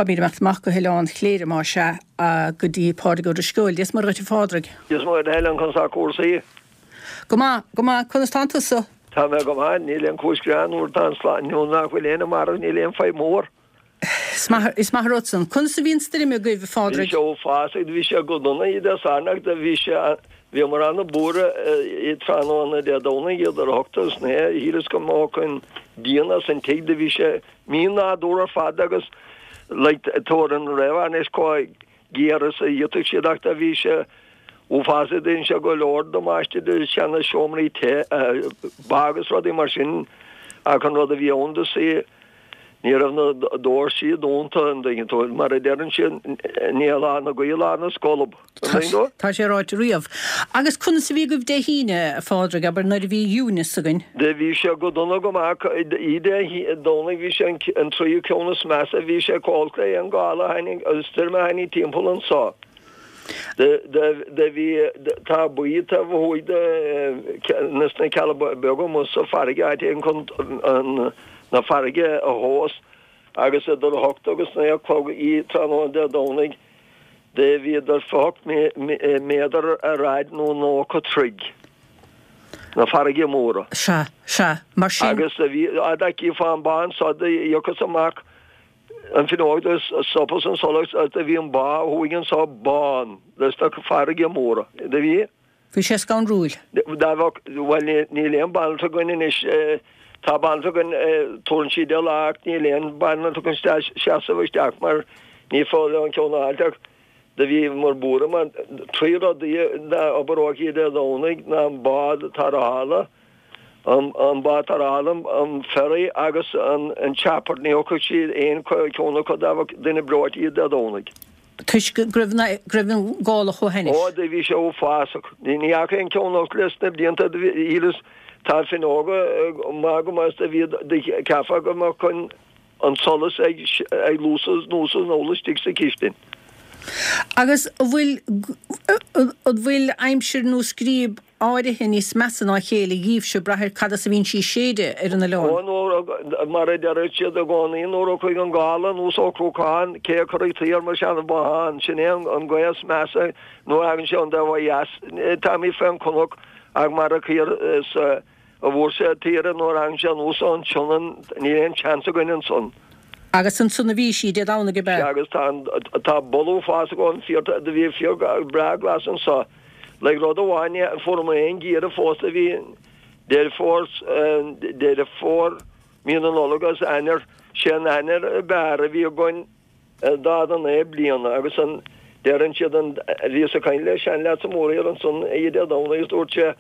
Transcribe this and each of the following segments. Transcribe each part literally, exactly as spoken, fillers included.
Táimid ag imeacht amach go hOileán Chléire más ea go dtí Pádraig Ó Drisceoil. Dia is Muire dhuit a Phádraig. Dia is Muire Helen, conas tá cúrsaí? Go maith, go maith, conas tánn tusa? Tá mé go maith, níl aon chúis gearáin nuair atá an slán, nuair nach bhfuil éinne marbh níl aon fadhb mhór. Is maith, is maith an rud san. Conas a bhí an stoirm agaibh, a Phádraig? Bhí sé uafásach, bhí sé go dona Dé Sathairn ach do bhí sé, bhíomar ana-bhuartha i tráthnóna Dé Domhnaigh idir a hocht agus naoi, shíleas go mbeadh an díon as an tigh, do bhí sé mí-nádúrtha ar fad agus like tabhair an réamhaisnéis chomh géar is a d'fhéadfadh siad ach do bhí sé uafásach, dhein sé go leor damáiste do seana seomraí te, ba agus rudaí mar sin ach an rud a bhí ann do sea ní raibh na doirsí dúnta an dtuigeann tú, mar a deireann siad ní hé lá na gaoithe lá na scolb, an dtuigeann tú? Tá sé ráite riamh. Agus conas a bhí agaibh Dé hAoine, a Phádraig, abair, nuair a bhí Eunice againn? Do bhí sé go dona go maith, oíche Dé Domhnaigh bhí sé an tríú ceann is measa, bhí sé chomh holc le aon gála a tháinig, stoirm a tháinig timpeall anso. Do bhí, tá baoi taobh thuaidh de na sna Cealla Beaga amuigh sa farraige, áit éigin chun na farraige a thomhas agus idir a hocht agus naoi a chlog oíche tráthnóna Dé Domhnaigh do bhí idir fiche hocht méadar ar fhaid nó nócha troigh na farraige móra. Sea, sea, mar sin. Agus do bhí, dá gcífeá an bá anso do thiocfas amach an fhuinneog do stopas an solas agus do bhí an bá thuaidh anso bán leis na farraige móra. Do bhí. Bhí sé scanrúil. Dá bheadh, bhuel níl aon banaltra againn anois, tá banaltra againn, tabharann sí deich lá ach níl aon banaltra againn seasamh isteach mar ní féidir leo an ceann a fháilt ach do bhíomar buartha mar trí rudaí ná oibreodh oíche Dé Domhnaigh ná an bád tarrthála, an bád tarrthála, an ferry agus an chopper, ní thiocfadh siad aon cheann acu dá bheadh duine breoite oíche Dé Domhnaigh. Toisc go raibh go raibh an gála chomh hainnis. Ó, do bhí sé uafásach. Ní fhaca aon cheann acu leis na blianta, do bhí, shíleas, tá fuinneoga maith go maith is do bhí, do cheapfá go mbeadh an, an solas ag, ag luasú anuas is anall istigh sa chistin. Agus an bhfuil, an bhfuil aimsir nó scríob áirithe níos measa ná a chéile dhíbhse ag brath ar cad as a bhíonn sí ag séideadh ar an oileán? Ó, nuair, mar a deir siad i gcónaí, nuair a chuaigh an gála anuas ó Chruacán, cé a chuirfeadh tuí ar mo sheana-bhothán? Sin é an ghaoth is measa nuair a thagann sé ón dtaobh ó dheas. Táimid fén gcnoc ach mar a chuir sa a bhfuair sé tíre nuair a thagann sé anuas ón tSionainn, níl aon tseans againn ansan. Agus ansan a bhí sí, Dé Domhnaigh, ab ea? Sea, agus tá an, tá boladh uafásach ón féar, do bhí féar breá glas anso. Like rud amháin, ní fuaireamar aon geimhreadh fós a bhí Deireadh Fómhair, Deireadh Fómhair, mí na Nollag agus Eanáir, sé an Eanáir ab fhearr a bhí againn. daichead a naoi bliana agus an deireann siad an bhíos ag caint le seanleaid sa mórthír ansan oíche Dé Domhnaigh agus dúirt sé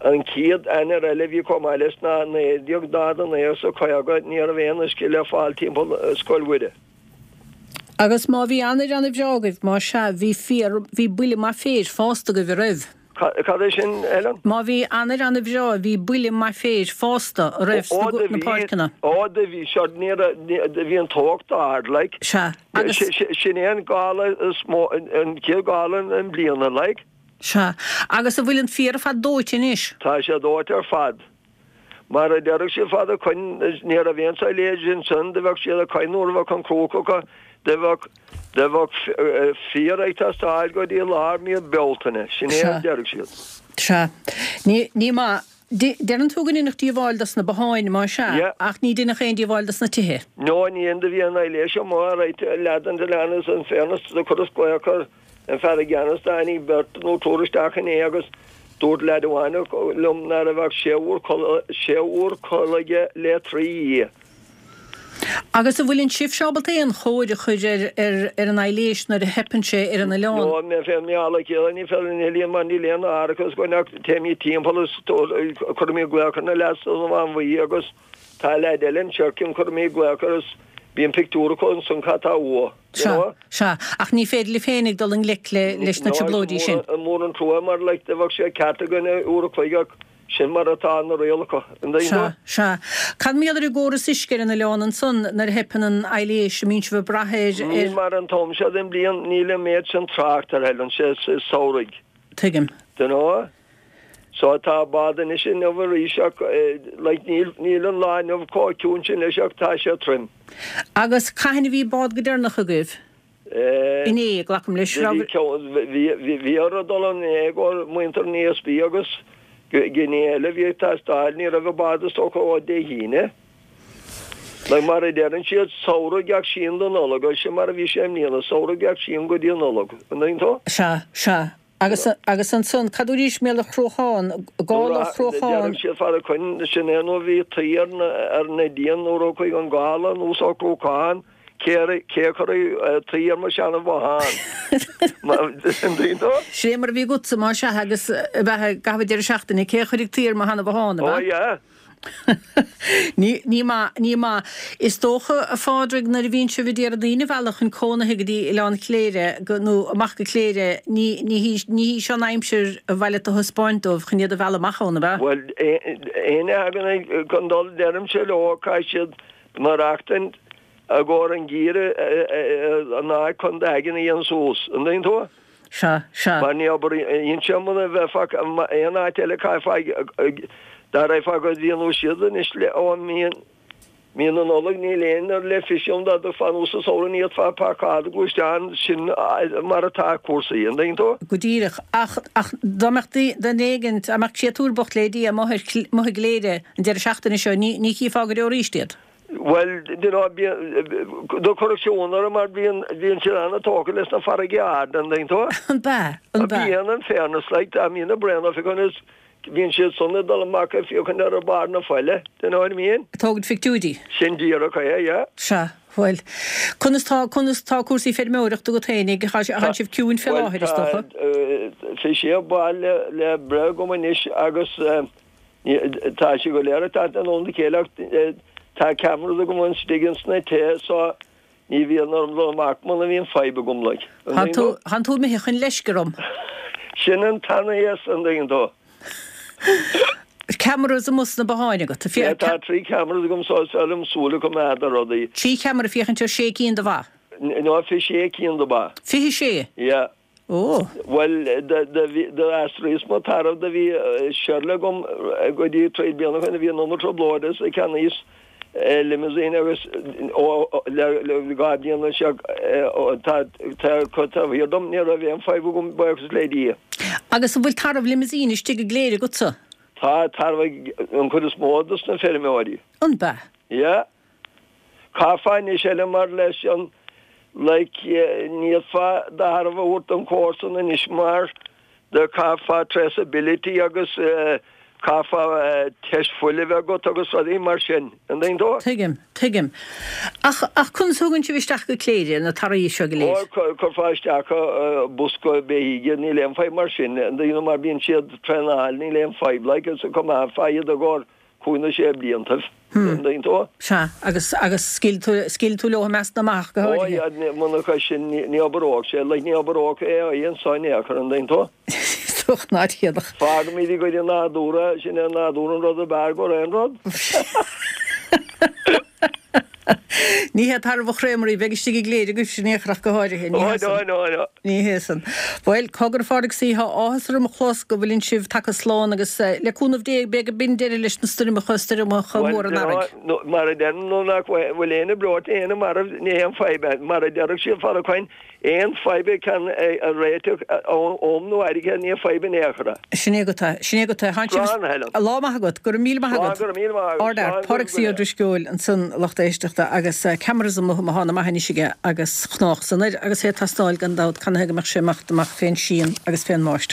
an chéad Eanáir eile a bhí chomh maith leis ná naoi déag daichead a naoi agus a caoga ní raibh aon uisce le fáil timpeall Scoil Mhuire. Agus má bhí Eanáir ana-bhreá agaibh, má sea, bhí féar, bhí buille maith féir fásta agaibh, a raibh? Cad é sin, Helen? Má bhí Eanáir ana-bhreá, bhí buille maith féir fásta, a raibh, Ó, sna do bhí, páirceanna? ó, do bhí, sure, ní raibh, ní, do bhí an teocht ard, like. Sea, agus. Sin é an gála is mó, an chéad gála i mbliana, like. Sea, agus an bhfuil an féar ar fad dóite anois? Tá sé dóite ar fad. Mar a déarfadh siad fad ó shoin, ní raibh aon silage ansan, do bheadh siad ag caint nuair a bheadh an cruach acu, do bheadh, do bheadh féar ag teastáil go dtí lár mí Bealtaine, sin é a déarfadh siad. Sea. Ní, ní maith. Deireann tú go ndeineadh díobháil dos na botháin, má sea, ach ní deineadh aon díobháil dos na tithe. No, ní dhein, do bhí an aibhléis amuigh, alright, leath den oileán is in fairness do chuireas glaoch ar an fear i gceannas, tháinig beirt nó triúr isteach inné agus dúirt leaid amháin liom ná raibh ach sé uair sé uair codladh aige le trí oíche. Agus an bhfuil an sibhse ábalta aon chóir a chur ar ar ar an aibhléis nuair a theipeann sé ar an oileán? No, mé féin mé le chéile ní féidir linn a mar níl aon árachas againn ach téimid timpeall is cuirimid glaoch ar na leaids sa Bhaile Bhuí agus tá leaid eile in Sherkin cuirimid glaoch air is bíonn pictiúr acu ansan cad tá uaidh. Sea, sea. Ach ní féidir libh féinig dul i ngleic le, leis na trioblóidí sin. No, is mór an trua mar like do bheadh sé ceart againn uair a chloig ach sin mar atá na rialacha. An dtuigeann Sea, tú? sea. Cad mar gheall ar an gcóras uisce ar an oileán ansan nuair a theipeann an aibhléis, an mbíonn sibh ag brath ar, Níl ar. mar an t-am seo den bhliain, níl an méid sin trácht ar Helen, sé samhraidh. Tuigim. Do you know? So tá bád anois inniu arís ach like níl níl an lá inniu chomh ciúin sin leis ach tá sé trim. Agus cathain a bhí bád go deireanach agaibh? Inné, glacaim leis. Bhí bhí bhí orthu dul inné i gcomhair muintir an ESB agus gné eile bhí ag teastáil ní raibh an bád is dócha ó Dé hAoine. Like mar a deireann siad samhradh gach síon don Nollaig agus sin mar a bhí sé i mbliana, samhradh gach síon go dtí an Nollaig. An dtuigeann tú? Sea, sea. Agus, agus ansan, cad arís mé le Cruachán, gála Chruacháin. Deireadh siad fara coin, sin é nó bhí tuí ar na, ar na díon nuair a chuaigh an gála anuas ó Chruachán, cé a, cé a chuirfeadh tuí ar mo sheana bhothán? An dtuigeann tú? Sin é mar a bhí agatsa, más ea, agus a bheith i gcaitheamh an deireadh seachtaine, cé a chuirfeadh tuí ar mo sheana bhothán, ab Ó ea? yeah. Ní, ní maith, ní maith. Is dócha, a Phádraig, nuair a bhíonn sibh ag iarraidh daoine a mhealladh chun cónaithe go dtí Oileán Chléire, go, nó amach go Cléire, ní, ní hí, ní hí seo an aimsir a mhaith leat a thaispeáint dóibh chun iad a mhealladh amach ann, ab ea? Bhuel, éinne a thagann ag, chun dul, deirimse leo, caithfidh siad maireachtaint i gcomhair an geimhreadh, an áit chun d'aigne a dhéanamh suas. An dtuigeann tú? Sea, sea. Mar ní oibríonn sé muna bheifeá aon áit eile caithfeá dá raghfá go dtí an siad anois le ó mí mí na Nollag níl aon ar le fios ann dá dtiocfá anuas sa samhradh ní fhéadfá páirceáil gluaisteán sin mar atá cúrsaí an dtuigeann tú? Go díreach. Ach ach dá mbeadh duine éigin dá mbeadh créatúr bocht le Dia amuigh ar amuigh i gCléire an deireadh seachtaine seo ní ní chífeá go deo arís iad. Bhuel, you know, do chuirfeadh sé ionadh orm mar bíonn, bíonn siad an-tógtha leis na farraigí arda, an dtuigeann tú? An b'ea? An b'ea? Bíonn, in fairness, like, tá míonna bréana féachaint is bíonn siad san ag dul amach ag féachaint ar barr na faille, do you know what I mean? Ag tógaint phictiúirí. Sin díreach é, yeah. Sea, bhuel, conas tá, conas tá cúrsaí feirmeoireachta agat fhéinig? Tá, tá sibh ciúin fé láthair, is dócha? Bhuel, tá fiche sé ba le, le breith agam anois agus, Tá sé go léir ag teacht in am a chéile ach tá cameras agam istigh ins na tithe so ní bhíonn orm dul amach muna mbíonn fadhb agam like. Thánn tú, thánn tú imithe chun leisce orm. Sin an t-anaigheas an dtuigeann tú. Cameras amuigh sna botháin agat. Yeah, tá trí cameras agam so is fearr liom súil a choimeád ar rudaí. Trí cheamara féachaint ar sé cinn de bha? No, fiche sé cinn de ba. Fiche sé? Yeah. Ó. Bhuel, d'aistrigh mo tarbh do bhí Shirley agam go dtí trí bliana ó shin a bhí in iomarca trioblóide is cheannaíos limousine agus ó le dhá bliana seo tá tá taobh thiar dom ní raibh aon fadhb agam buíochas le Dia. Agus an bhfuil tarbh limousine istigh i gCléire agatsa? Tá tarbh ag an chuid is mó dos na feirmeoirí. An b'ea? Yeah. Caithfeá anois eile mar leis an like ní fhéadfá do tharbh a thabhairt don chomharsan anois mar do caithfeá traceability agus caithfeá test fuil a bheith agat agus rudaí mar sin. An dtuigeann tú? Tuigim, tuigim. Ach, ach conas a thugann sibh isteach go Cléire na tairbh seo go Ó, léir? cuirfeá isteach bosca beithígh, níl aon fadhb mar sin. An dtuigeann tú mar bíonn siad traenáilte, níl aon fadhb like is coimeádfá iad i gcomhair cúig nó sé bliantaibh, an dtuigeann tú? Sea, agus, agus scaoil tú, scaoil tú leo i measc na mbeach go Ó, háirithe. yeah, muna chois sin, ní, ní obródh sé, like, ní obródh AI anso in aon chor, an dtuigeann tú? Is dócha ná déanfadh. Fágaimid i gcuid an nádúra, sin é an nádúr an rud ab fhearr go aon rud. Ní hé tarbh an Chréamaraí bheidh istigh i gCléire agaibhse in aon chor ach go háirithe, ní Ó, hea no, san. no, no. Ní hea san. Bhuel, cogar a Phádraig Sea, tá áthas orm a chlos go bhfuileann sibh tagtha slán agus le cúnamh Dé beidh go binn deireadh leis na stoirmeacha, stoirmeacha Bhuel, móra an earraigh. no, mar a deirim, nó nach bhfuil aon breoite, aon marbh, ní haon fadhb é. Mar a déarfadh siad fara coin, Aon fadhb a ceann a réiteach am nó airgead ní fadhb in aon chor é. Sin é agat é. Sin é agat é. Tánn sibh. Slán, a Helen. Lá maith agat. Go raibh míle maith Slán, agat. go raibh míle maith agat. Ard-fhear. Slán, Pádraig go C. Ó raibh. Drisceoil ansan, a lucht éisteachta, agus cameras amuigh má thá na maith anois aige agus chnách san air agus é ag tastáil gan dabht canathaobh go mbeadh sé amach amach fén síon agus fén mbáisteach.